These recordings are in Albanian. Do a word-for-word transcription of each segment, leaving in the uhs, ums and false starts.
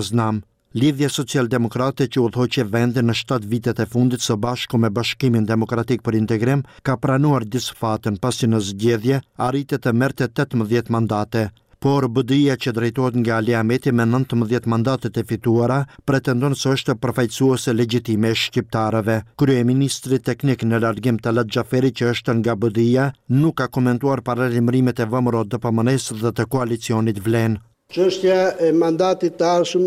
Znam. Lidhja Socialdemokrate, që udhëhoqi vendin në shtatë vitet e fundit së bashku me Bashkimin Demokratik për Integrim, ka pranuar disfatën, pasi në zgjedhje arriti të merrte tetëmbëdhjetë mandate. Por B D I-ja, që drejtohet nga Ali Ahmeti me nëntëmbëdhjetë mandatet e fituara, pretendon se është përfaqësuese legjitime e shqiptarëve. Kryeministri teknik në largim Talat Xhaferi, që është nga B D I-ja, nuk ka komentuar paralajmërimet e V M R O D P M N-së dhe të koalicionit Vlen. Çështja e mandatit të ardhshëm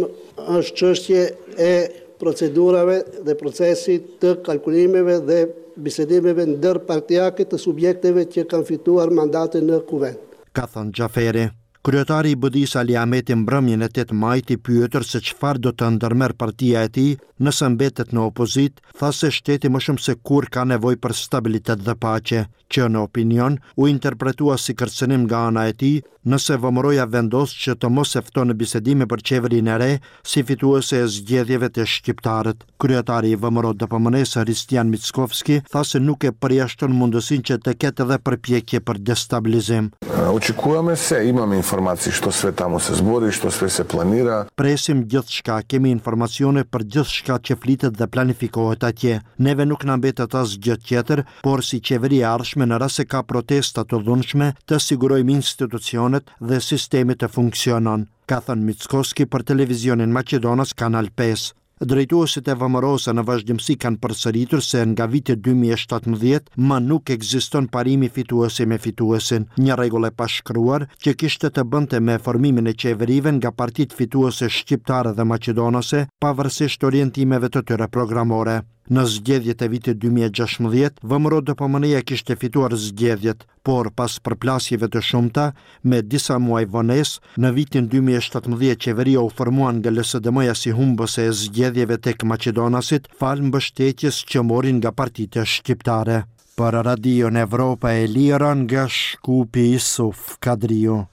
është çështje e procedurave dhe procesit të kalkulimeve dhe bisedimeve ndërpartiake të subjekteve që kanë fituar mandate në Kuvend, ka thënë Xhaferi. Kryetari i B D I-së Ali Ahmeti mbrëmjen e tetë majit, i pyetur se çfarë do të ndërmerr partia e tij nëse mbetet në opozitë, tha se shteti më shumë se kur ka nevojë për stabilitet dhe paqe, që në opinion u interpretua si kërcënim nga ana e tij nëse V M R O-ja vendos që të mos e fton në bisedime për qeverinë e re si fituese e zgjedhjeve të shqiptarët. Kryetari i V M R O D P M N-së Hristijan Mickoski tha se nuk e përjashton mundësinë që të ketë edhe përpjekje për destabilizim. Očekujemo se, imamo informacije što sve tamo se zbori, što sve se planira. Presim gjithçka, kemi informacione për gjithçka që flitet dhe planifikohet atje. Neve nuk na mbetet asgjë tjetër, por si qeveri e ardhshme, në rast se ka protesta të dhunshme, të sigurojmë institucionet dhe sistemi të funksionon, ka thënë Mickoski për televizionin Maqedonas Kanal pesë. Drejtuesit e V M R O-së në vazhdimësi kanë përsëritur se nga viti dy mijë e shtatëmbëdhjetë më nuk ekziston parimi fituesi me fituesin, një rregull e pashkruar që kishte të bënte me formimin e qeverive nga partitë fituese shqiptare dhe maqedonase, pavarësisht orientimeve të tyre programore. Në zgjedhjet e vitit dy mijë e gjashtëmbëdhjetë, V M R O D P M N-ja kishte fituar zgjedhjet, por pas përplasjeve të shumta, me disa muaj vonesë, në vitin dy mijë e shtatëmbëdhjetë qeveria u formua nga L S D M-ja si humbëse e zgjedhjeve tek maqedonasit, falë mbështetjes që morin nga partitë shqiptare. Për Radion Evropa e Lira nga Shkupi, Isuf Kadriu.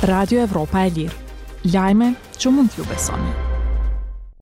Radio Evropa e Lirë. Lajme që mund t'ju besoni.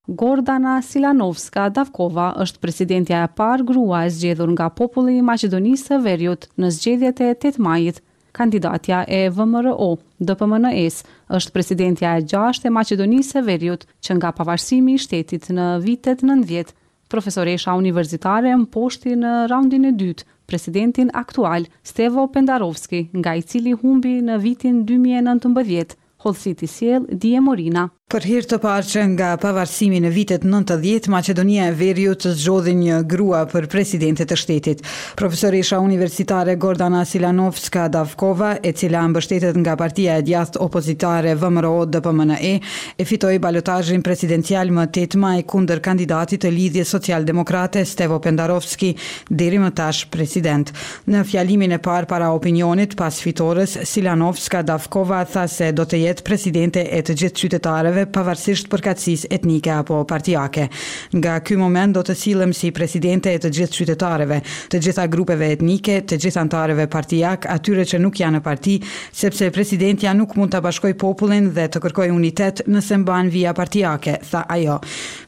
Gordana Silanovska Davkova është presidentja e parë grua e zgjedhur nga populli i Maqedonisë së Veriut në zgjedhjet e tetë majit. Kandidatja e V M R O, D P M N E-s, është presidentja e gjashtë e Maqedonisë së Veriut që nga pavarësimi i shtetit në vitet nëntëdhjetë. Profesoresha universitare mposhti në raundin e dytë presidentin aktual Stevo Pendarovski, nga i cili humbi në vitin dy mijë e nëntëmbëdhjetë. Hollësitë i sjell Die Morina. Për herë të parë që nga pavarësimi në vitet nëntëdhjetë, Maqedonia e Veriut zgjodhi një grua për presidente të shtetit. Profesoresha universitare Gordana Silanovska Davkova, e cila mbështetet nga partia e djathtë opozitare V M R O D P M N E, e fitoi balotazhin presidencial më tetë maj kundër kandidatit të Lidhjes Social-Demokrate Stevo Pendarovski, deri më tash president. Në fjalimin e parë para opinionit pas fitores, Silanovska Davkova tha se do të jetë presidente e të gjithë qytetarëve, pavarësisht përkatësisë etnike apo partiake. "Nga ky moment do të sillem si presidente e të gjithë qytetarëve, të gjitha grupeve etnike, të gjithë anëtarëve partijak, atyre që nuk janë në parti, sepse presidentja nuk mund ta bashkojë popullin dhe të kërkojë unitet nëse mban vija partiake", tha ajo.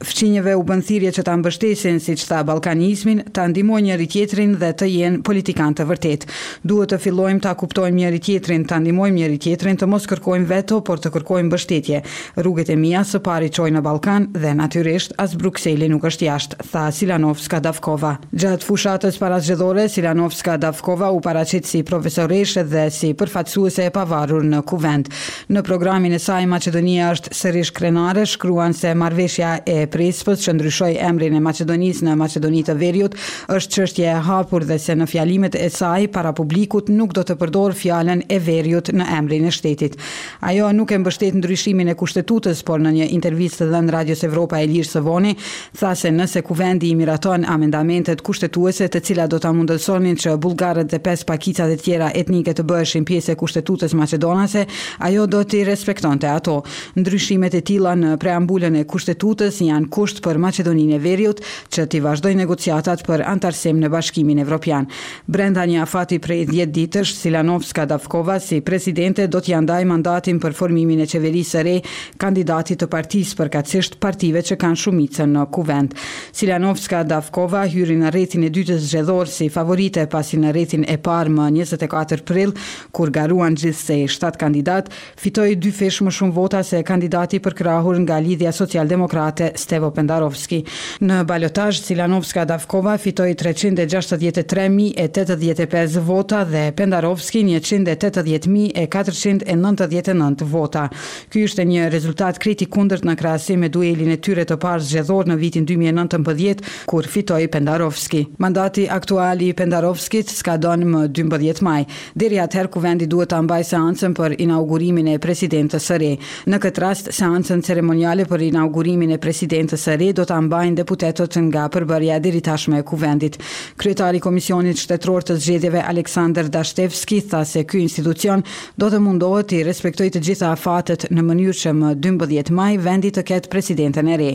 Fqinjëve u bën thirrje që ta mbështesin, siç tha, ballkanizmin, ta ndihmojnë njëri tjetrin dhe të jenë politikanë të vërtetë. "Duhet të fillojmë ta kuptojmë njëri tjetrin, ta ndihmojmë njëri tjetrin, të mos kërkojmë veto, por të kërkojmë mbështetje. Rrugët e mia së pari çojnë në Ballkan dhe natyrisht as Brukseli nuk është jashtë", tha Silanovska Davkova. Gjatë fushatës parazgjedhore, Silanovska Davkova u paraqit si profesoreshë dhe si përfaqësuese e pavarur në Kuvend. Në programin e saj "Maqedonia është sërish krenare" shkruan se marrëveshja e Prespës, që ndryshoi emrin e Maqedonisë në Maqedoni të Veriut, është çështje e hapur dhe se në fjalimet e saj para publikut nuk do të përdor fjalën e Veriut në emrin e shtetit. Ajo nuk e mbështet ndryshimin e kushtetutës, por në një intervistë të dhënë Radios Evropa e Lirë së voni, tha se nëse Kuvendi i miraton amendamentet kushtetuese, të cilat do ta mundësonin që bullgarët dhe pesë pakicat e tjera etnike të bëheshin pjesë e kushtetutës maqedonase, ajo do t'i respektonte ato. Ndryshimet e tilla në preambulën e kushtetutës janë kusht për Maqedoninë e Veriut që t'i vazhdojë negociatat për antarësim në Bashkimin Evropian. Brenda një afati prej dhjetë ditësh, Silanovska Davkova si presidente do t'ia ndaj mandatin për formimin e qeverisë së re kandidatit kandidatit të partisë, përkatësisht partive që kanë shumicën në kuvend. Silanovska Davkova hyri në rrethin e dytë zgjedhor si favorite, pasi në rrethin e parë më njëzet e katër prill, kur garuan gjithsej shtatë kandidat, fitoi dyfish më shumë vota se kandidati përkrahur nga Lidhja Socialdemokrate Stevo Pendarovski. Në balotazh, Silanovska Davkova fitoi treqind e gjashtëdhjetë e tre mijë e tetëdhjetë e pesë vota dhe Pendarovski njëqind e tetëdhjetë mijë e katërqind e nëntëdhjetë e nëntë vota. Ky ishte një rezultat krejt i kundërt në krahasim me duelin e tyre të parë zgjedhor në vitin dy mijë e nëntëmbëdhjetë, kur fitoi Pendarovski. Mandati aktual i Pendarovskit skadon më dymbëdhjetë maj. Deri atëherë kuvendi duhet ta mbajë seancën për inaugurimin e presidentës së re. Në këtë rast, seancën ceremoniale për inaugurimin e presidentës së re do ta mbajnë deputetët nga përbërja e deritashme e kuvendit. Kryetari i Komisionit Shtetëror të Zgjedhjeve Aleksandar Dashtevski tha se ky institucion do të mundohet t'i respektojë të gjitha afatet në mënyrë që më dymbëdhjetë maj vendi të ketë presidenten e re.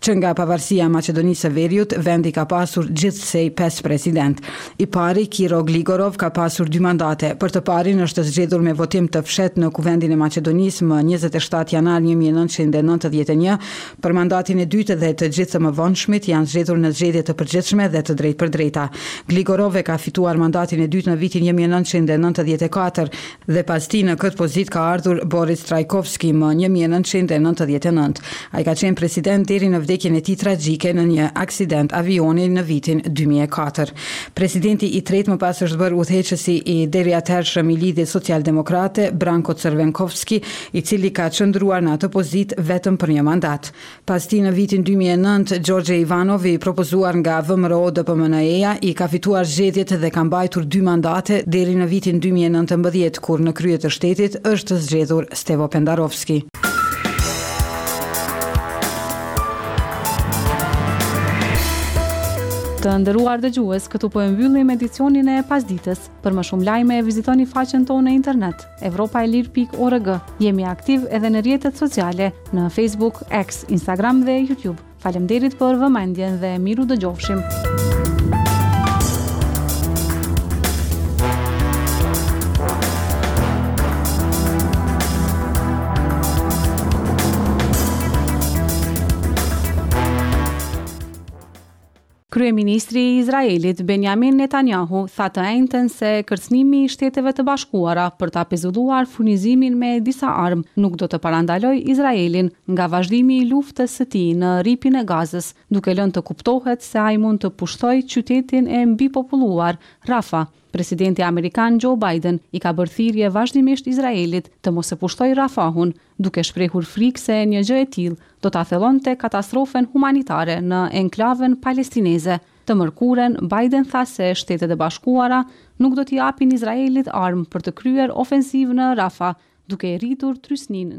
Që nga pavarësia e Maqedonisë së Veriut, vendi ka pasur gjithsej pesë president. I pari, Kiro Gligorov, ka pasur dy mandate. Për të parin është zgjedhur me votim të fshehtë në Kuvendin e Maqedonisë më njëzet e shtatë janar një mijë e nëntëqind e nëntëdhjetë e një. Për mandatin e dytë dhe të gjithë të mëvonshmit janë zgjedhur në zgjedhje të përgjithshme dhe të drejtpërdrejta. Gligorov e ka fituar mandatin e dytë në vitin një mijë e nëntëqind e nëntëdhjetë e katër dhe pas tij në këtë pozitë ka ardhur Boris Trajkovski më një mijë e nëntëqind e nëntëdhjetë e nëntë. Ai ka qenë president deri në vdekjen e tij tragjike në një aksident avioni në vitin dy mijë e katër. Presidenti i tretë më pas është bërë udhëheqësi i deri atëhershëm i Lidhjes Socialdemokrate, Branko Crvenkovski, i cili ka qëndruar në atë pozitë vetëm për një mandat. Pas tij në vitin dy mijë e nëntë, Gjorgje Ivanov, i propozuar nga V M R O D P M N E-ja, i ka fituar zgjedhjet dhe ka mbajtur dy mandate deri në vitin dy mijë e nëntëmbëdhjetë, kur në krye të shtetit është zgjedhur Stevo Pendarovski. Të nderuar dëgjues, këtu po e mbyllim edicionin e pasditës. Për më shumë lajme vizitoni faqen tonë në internet evropa e lirë pikë org. Jemi aktiv edhe në rrjetet sociale, në Facebook, X, Instagram dhe YouTube. Faleminderit për vëmendjen dhe miru dëgjofshim. Kryeministri i Izraelit Benjamin Netanyahu tha të enjten se kërcënimi i Shteteve të Bashkuara për ta pezulluar furnizimin me disa armë nuk do të parandalojë Izraelin nga vazhdimi i luftës së tij në rripin e Gazës, duke lënë të kuptohet se ai mund të pushtojë qytetin e mbipopulluar Rafah. Presidenti amerikan Joe Biden i ka bërë thirrje vazhdimisht Izraelit të mos e pushtojë Rafahun, duke shprehur frikë se një gjë e tillë do ta thellonte katastrofën humanitare në enklavën palestineze. Të mërkurën, Biden tha se Shtetet e Bashkuara nuk do t'i japin Izraelit armë për të kryer ofensivë në Rafah, duke e rritur trysninë